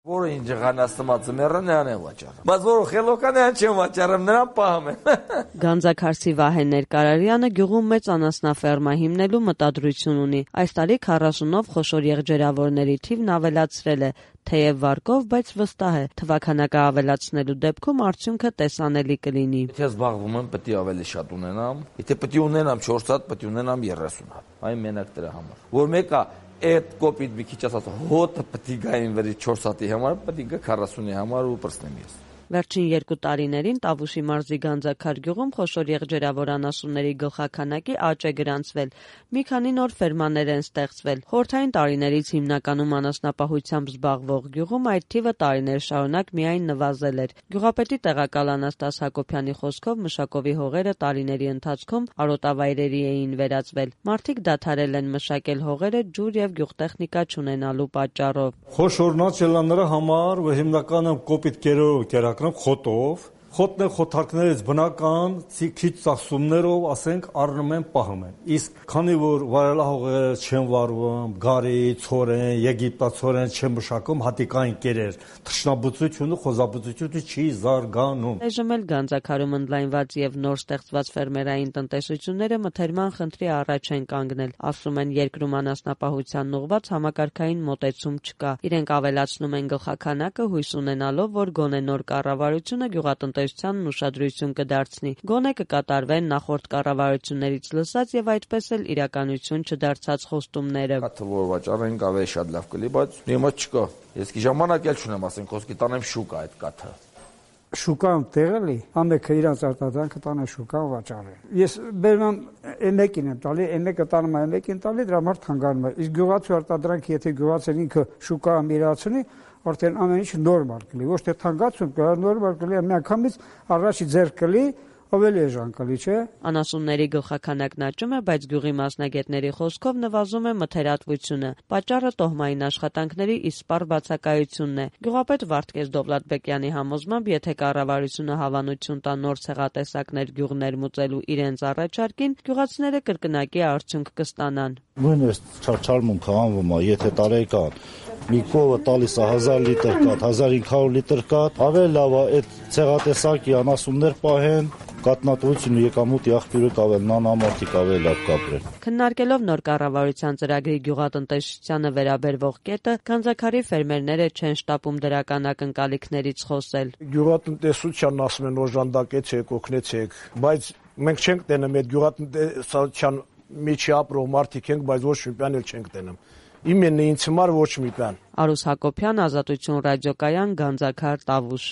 Որը ինչ ղանաստմացը մեռան են վաճառում։ Բայց որ խելոքան են չեն վաճառում, նրան պահում են։ Գանձաքարսի Վահե Ներկարարյանը գյուղում մեծ անասնաֆերմա հիմնելու մտադրություն ունի։ Այս տարի 40-ով խոշոր եղջերավորների թիվն ավելացրել է, թեև վարկով, բայց վստահ է, թվաքանակը ավելացնելու դեպքում արդյունքը տեսանելի կլինի։ Եթե զբաղվում եմ, պետք է ավելի շատ ունենամ։ Եթե պետք է ունենամ 4 հատ, պետք է ունենամ 30 հատ։ Այն մենակ դրա համար։ Որ մեկը այդ կոպիտ մի քիչ ասած հոտը պետք է գային վերի 4 հատի համար, պետք է գա 40-ի համար ու պրծնեմ ես։ Վերջին 2 տարիներին Տավուշի մարզի Գանձաքար գյուղում խոշոր եղջերավոր անասունների գլխաքանակի աճ է գրանցվել։ Մի քանի նոր ֆերմաներ են ստեղծվել։ Խորհրդային տարիներից հիմնականում անասնապահությամբ զբաղվող գյուղում այդ թիվը տարիներ շարունակ միայն նվազել էր։ Գյուղապետի տեղակալ Անաստաս Հակոբյանի խոսքով մշակովի հողերը տարիների ընթացքում արոտավայրերի էին վերածվել։ Մարդիկ դադարել են մշակել հողերը ջուր եւ գյուղտեխնիկա չունենալու պատճառով։ Խոշորնացելանները համար ու հիմնականը կոպիտ կերակրում խոտով Խոտն է խոթարկներից բնական քիչ ծախսումներով, ասենք, առնում են, պահում են։ Իսկ քանի որ վայրահողերը չեն վարվում, գարի, ցորեն, եգիպտացորեն չեն մշակում, հատիկային կերեր, թռչնաբուծությունը, խոզաբուծությունը չի զարգանում։ Այժմ էլ Գանձաքարում ընդլայնված եւ նոր ստեղծված ֆերմերային տնտեսությունները մթերման խնդրի առաջ են կանգնել։ Ասում են, երկրում անասնապահությանն ուղղված համակարգային մոտեցում չկա։ Իրենք ավելացնում են գլխաքանակը հույս ունենալով, որ գոնե նոր կառավարությունը գյուղատնտեսությանն ուշադրություն կդարձնի։ Գոնե կկատարվեն նախորդ կառավարություններից լսած եւ այդպես էլ իրականություն չդարձած խոստումները։ Կաթը որ վաճառենք ավելի շատ լավ կլի, բայց հիմա չկա։ Ես კი ժամանակ էլ չունեմ, ասենք, խոսքի տանեմ շուկա այդ կաթը։ Շուկան տեղելի, ամենքը իրանց արտադրանքը տանը շուկան վաճառի։ Ես բերում մեկին եմ տալի, մեկը տանում է մեկին տալի, դրա համար թանկանում է։ Իսկ գյուղացու արտադրանքը, եթե գյուղացին ինքը շուկա ամիրացնի, արդեն ամեն ինչ նորմալ կլի, ոչ թե թանկացում կա, նորմալ կլի, միանգամից առաջի ձեռք կլի, ավելի էժան կլի, չէ։ Անասունների գլխաքանակն աճում է, բայց գյուղի մասնագետների խոսքով նվազում է մթերատվությունը։ Պատճառը տոհմային աշխատանքների իսպառ բացակայությունն է։ Գյուղապետ Վարդգես Դովլաթբեկյանի համոզմամբ, եթե կառավարությունը հավանություն տա նոր ցեղատեսակներ գյուղ ներմուծելու իրենց առաջարկին, գյուղացիները կրկնակի արդյունք կստանան։ Նույնիսկ չարչարմունքը անվում է, եթե տարեկան մի կովը տալիս է 1000 լիտր կաթ, 1500 լիտր կաթ, ավելի լավ է այդ ցեղատեսակի անասուններ պահեն, կատնատվությունը եկամուտի աղբյուրը կավելնան, ամարտիկ ավելի լավ կապրեն։ Քննարկելով նոր կառավարության ծրագրի գյուղատնտեսությանը վերաբերվող կետը, Գանձաքարի ֆերմերները չեն շտապում դրական ակնկալիքներից խոսել։ Գյուղատնտեսությանն ասում են օժանդակեցեք, օգնեցեք, բայց մենք չենք տենում այդ գյուղատնտեսության միջի ապրող մարդիկ ենք, բայց ոչ մի բան էլ չենք տենում։ Իմենը ինձ համար ոչ մի բան։ Արուս Հակոբյան, Ազատություն ռադիոկայան, Գանձաքար, Տավուշ։